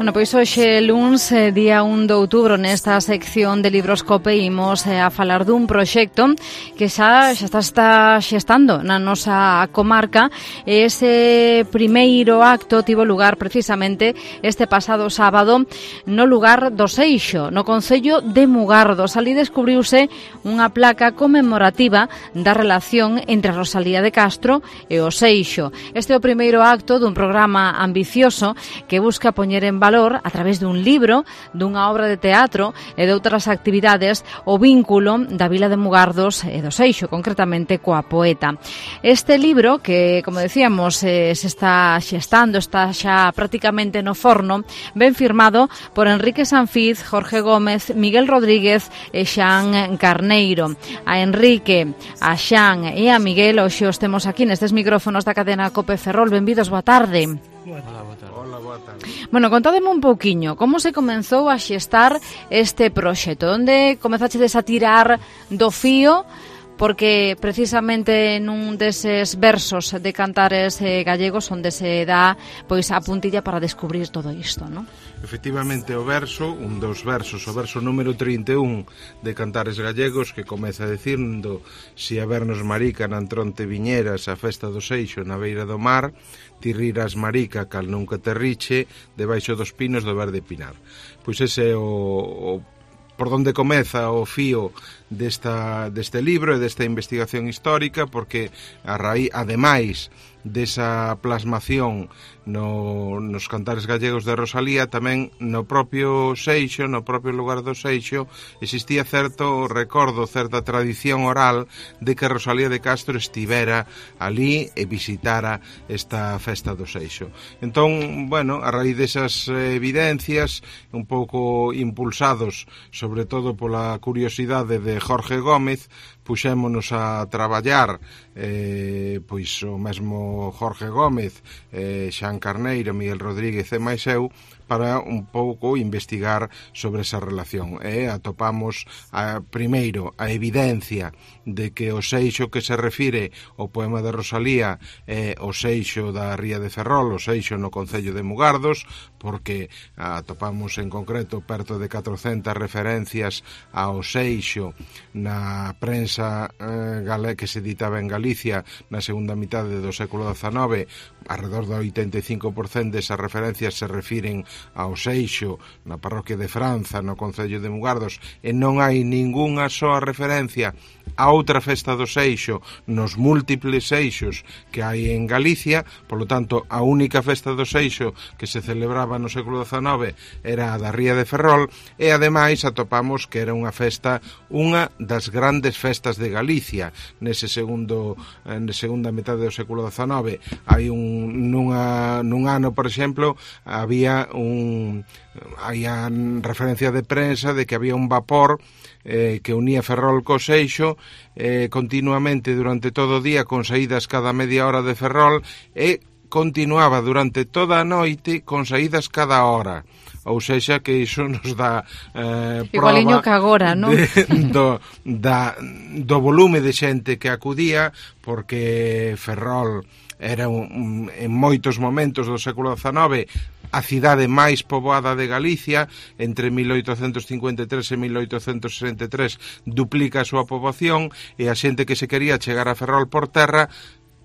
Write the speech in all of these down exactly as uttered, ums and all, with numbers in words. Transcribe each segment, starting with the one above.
Bueno, pois hoxe luns, día un de outubro, nesta sección de Libroscope imos eh, a falar dun proxecto que xa, xa está, está xestando na nosa comarca. Ese primeiro acto tivo lugar precisamente este pasado sábado no lugar do Seixo, no concello de Mugardos. Ali descubriuse unha placa conmemorativa da relación entre Rosalía de Castro e o Seixo. Este é o primeiro acto dun programa ambicioso que busca poñer en valor, a través dun libro, dunha obra de teatro e de outras actividades, o vínculo da vila de Mugardos e do Seixo, concretamente coa poeta. Este libro, que, como decíamos, eh, se está xestando, está xa prácticamente no forno, ben firmado por Enrique Sanfiz, Jorge Gómez, Miguel Rodríguez e Xan Carneiro. A Enrique, a Xan e a Miguel, hoxe os temos aquí nestes micrófonos da cadena Cope Ferrol. Benvidos, boa tarde. Hola, boa tarde. Hola, boa tarde. Bueno, contádeme un pouquiño, como se comenzou a xestar este proxecto? Onde comezachedes a tirar do fío? Porque precisamente nun deses versos de cantares eh, gallegos onde se dá pois a puntilla para descubrir todo isto, non? Efectivamente, o verso, un dos versos, o verso número trinta e un de Cantares Gallegos, que comeza dicindo: si a vernos marica na entronte viñeras a festa do Seixo na beira do mar, ti riras marica cal nunca te riche debaixo dos pinos do verde pinar. Pois ese é o, o por donde comeza o fío desta, deste libro e desta investigación histórica, porque a raíz, ademais desa plasmación no, nos Cantares Gallegos de Rosalía, tamén no propio Seixo, no propio lugar do Seixo, existía certo recordo, certa tradición oral de que Rosalía de Castro estivera ali e visitara esta festa do Seixo. Entón, bueno, a raíz desas evidencias, un pouco impulsados sobre todo pola curiosidade de Jorge Gómez, puxémonos a traballar, eh, pois o mesmo Jorge Gómez, eh, Xan Carneiro, Miguel Rodríguez e máis eu, para un pouco investigar sobre esa relación. E atopamos a, primeiro a evidencia de que o Seixo que se refire ao poema de Rosalía é o Seixo da Ría de Ferrol, o Seixo no concello de Mugardos, porque atopamos en concreto perto de catrocentas referencias ao Seixo na prensa eh, gale, que se editaba en Galicia na segunda mitade do século dezanove. Arredor do oitenta e cinco por cento desas referencias se refiren ao Seixo na parroquia de Franza, no concello de Mugardos, e non hai ningunha soa referencia a outra festa do Seixo nos múltiples Seixos que hai en Galicia. Polo tanto, a única festa do Seixo que se celebraba no século dezanove era a da Ría de Ferrol, e ademais atopamos que era unha festa, unha das grandes festas de Galicia nese segundo, na segunda metade do século dezanove. Hai un, nunha, nun ano, por exemplo, había un había referencia de prensa de que había un vapor eh, que unía Ferrol co Seixo eh, continuamente durante todo o día, con saídas cada media hora de Ferrol, e continuaba durante toda a noite con saídas cada hora. Ou sexa que iso nos dá eh, igualiño que agora, non? De, do, da, do volume de xente que acudía, porque Ferrol era un, en moitos momentos do século dezanove a cidade máis poboada de Galicia. Entre mil oitocentos cincuenta e tres e mil oitocentos sesenta e tres duplica a súa poboación, e a xente que se quería chegar a Ferrol por terra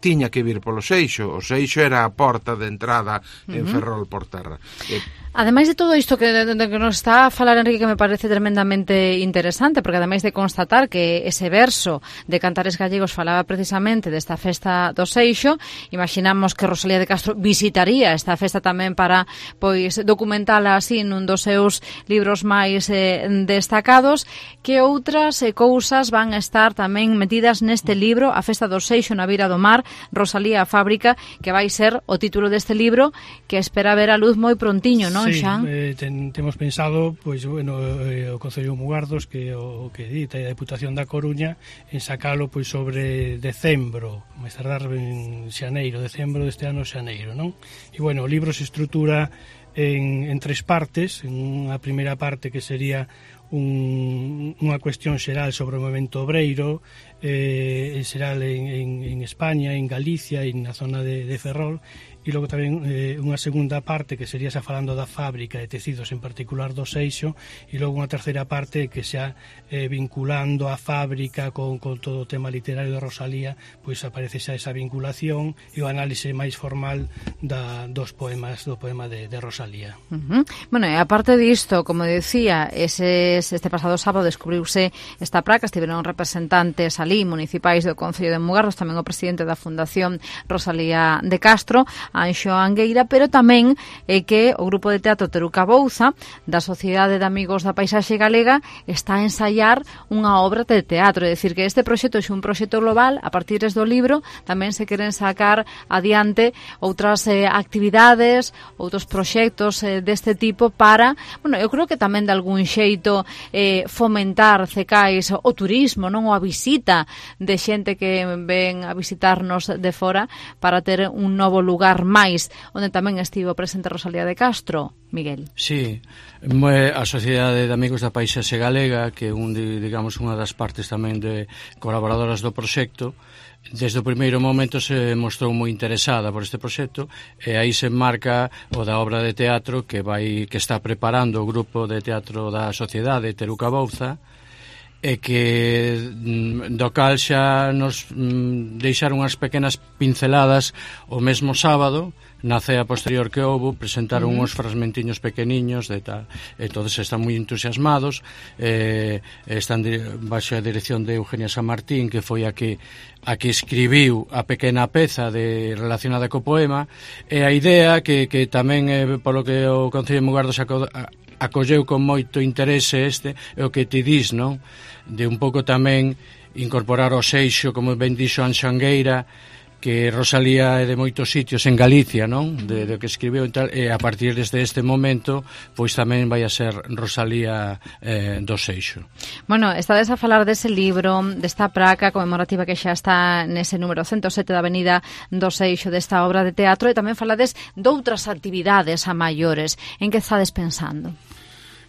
tiña que vir polo Seixo. O Seixo era a porta de entrada en uh-huh. Ferrol por terra. E ademais de todo isto que, de, de que nos está a falar Enrique, que me parece tremendamente interesante, porque ademais de constatar que ese verso de Cantares Gallegos falaba precisamente desta festa do Seixo, imaginamos que Rosalía de Castro visitaría esta festa tamén para pois documentala así nun dos seus libros máis eh, destacados. Que outras eh, cousas van a estar tamén metidas neste libro, A festa do Seixo na beira do mar, Rosalía a fábrica, que vai ser o título deste libro, que espera ver a luz moi prontiño, non? Sí, eh, ten, temos pensado, pois, bueno, eh, o Concello de Mugardos, que o que edita a Deputación da Coruña, en sacalo pois sobre decembro, máis tardar en xaneiro, decembro deste ano xaneiro, non? E, bueno, o libro se estrutura en, en tres partes. En unha primeira parte que sería un, unha cuestión xeral sobre o movemento obreiro, eh, xeral en, en, en España, en Galicia e na zona de, de Ferrol, e logo tamén eh, unha segunda parte que sería xa falando da fábrica de tecidos, en particular do Seixo, e logo unha terceira parte que xa eh, vinculando a fábrica con, con todo o tema literario de Rosalía, pois aparece xa esa vinculación e o análise máis formal da, dos poemas, do poema de, de Rosalía. Uh-huh. Bueno, e aparte disto, como decía, ese, este pasado sábado descubriuse esta praca, estiveron representantes ali municipais do Concello de Mugardos, tamén o presidente da Fundación Rosalía de Castro, Anxo Angueira, pero tamén é que o grupo de teatro Teruca Bouza da Sociedade de Amigos da Paisaxe Galega está a ensaiar unha obra de teatro, é dicir, que este proxecto é un proxecto global, a partir do libro tamén se queren sacar adiante outras eh, actividades, outros proxectos eh, deste tipo para, bueno, eu creo que tamén de algún xeito eh, fomentar cecais o turismo, non, ou a visita de xente que ven a visitarnos de fora para ter un novo lugar máis, onde tamén estivo presente Rosalía de Castro. Miguel. Sí, a Sociedade de Amigos da Paisaxe Galega, que é un, digamos, unha das partes tamén de colaboradoras do proxecto, desde o primeiro momento se mostrou moi interesada por este proxecto, e aí se marca o da obra de teatro que vai que está preparando o grupo de teatro da Sociedade Teruca Bouza, e que do cal xa nos deixaron unhas pequenas pinceladas o mesmo sábado na cea posterior que houbo, presentaron uh -huh. uns fragmentiños pequeniños de tal, e todos están moi entusiasmados, eh, están de, baixo a dirección de Eugenia San Martín, que foi a que a que escribiu a pequena peza de relacionada co poema, e a idea que, que tamén eh, polo que o Concello de Mugardos aco, a, acolleu con moito interese este, é o que ti dis, non? De un pouco tamén incorporar o Seixo, como ben dixo Anxo Angueira, que Rosalía é de moitos sitios en Galicia, non? De, de que escribeu e tal, e a partir desde este momento pois tamén vai a ser Rosalía eh, do Seixo. Bueno, estades a falar dese libro, desta praca conmemorativa que xa está nese número ciento sete da Avenida do Seixo, desta obra de teatro, e tamén falades doutras actividades a maiores. En que estades pensando?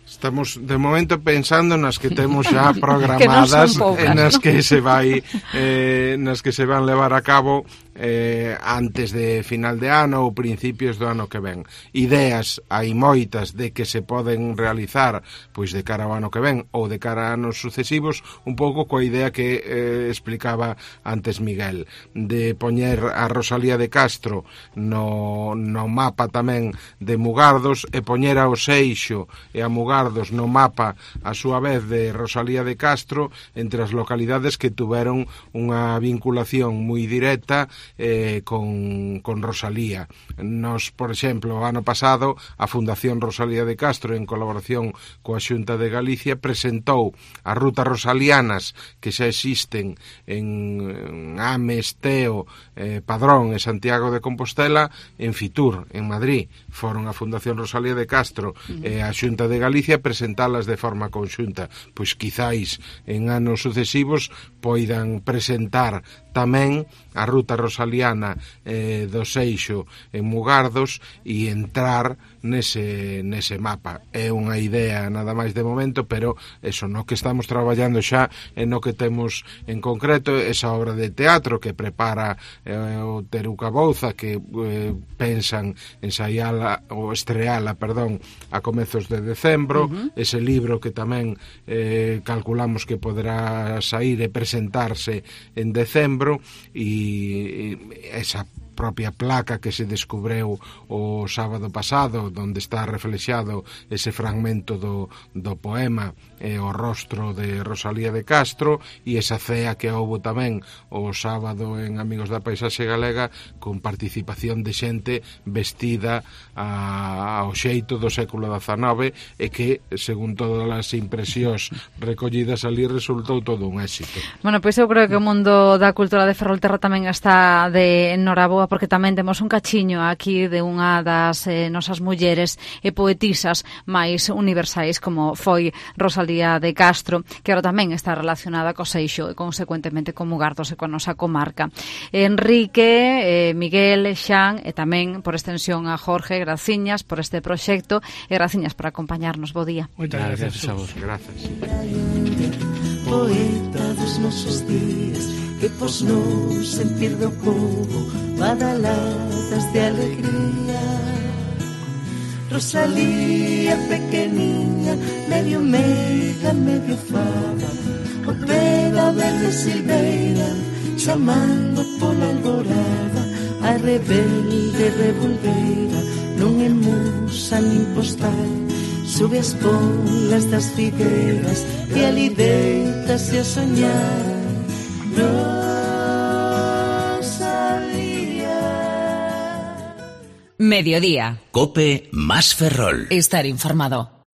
Estamos de momento pensando nas que temos xa programadas, que poucas, nas que se vai eh, nas que se van levar a cabo eh, antes de final de ano ou principios do ano que ven. Ideas hai moitas de que se poden realizar pois de cara ao ano que ven ou de cara a anos sucesivos, un pouco coa idea que eh, explicaba antes Miguel, de poñer a Rosalía de Castro no, no mapa tamén de Mugardos e poñer ao Seixo e a Mugardos no mapa a súa vez de Rosalía de Castro entre as localidades que tuveron unha vinculación moi directa eh, con, con Rosalía. Nos, por exemplo, o ano pasado a Fundación Rosalía de Castro, en colaboración coa Xunta de Galicia, presentou as rutas rosalianas que xa existen en Ames, Teo, eh, Padrón e Santiago de Compostela en Fitur, en Madrid. Foron a Fundación Rosalía de Castro e a Xunta de Galicia presentalas de forma conxunta. Pois quizáis en anos sucesivos poidan presentar tamén a ruta rosaliana eh, do Seixo en Mugardos e entrar nese, nese mapa. É unha idea nada máis de momento, pero eso, no que estamos traballando xa e no que temos en concreto esa obra de teatro que prepara eh, o Teruca Bouza, que eh, pensan ensaiala ou estreala, perdón, a comezos de decembro. Uh-huh. Ese libro que tamén eh, calculamos que poderá sair e presentarse en decembro, e esa propia placa que se descubreu o sábado pasado, onde está reflexado ese fragmento do, do poema e o rostro de Rosalía de Castro, e esa cea que houbo tamén o sábado en Amigos da Paisaxe Galega con participación de xente vestida a, ao xeito do século dezanove, e que, según todas as impresións recollidas ali, resultou todo un éxito. Bueno, pois eu creo que o mundo da cultura de Ferrolterra tamén está de enhoraboa, porque tamén temos un cachiño aquí de unha das eh, nosas mulleres e poetisas máis universais, como foi Rosalía de Castro, que agora tamén está relacionada co Seixo e consecuentemente con Mugardos e coa nosa comarca. Enrique, eh, Miguel, Xan e tamén por extensión a Jorge, graciñas por este proxecto e graciñas por acompañarnos. Bo día. Moitas gracias a vos. Gracias. Poeta dos nosos días, que pos no sentir do povo badaladas de alegría. Rosalía pequeniña, medio meiga, medio fava, o pé da verde silveira, chamando pola alborada, a rebelde revolveira, non é musa nin postal, sube as polas das figueiras e ali deitase a soñar. Rosalía. Mediodía. COPE más Ferrol. Estar informado.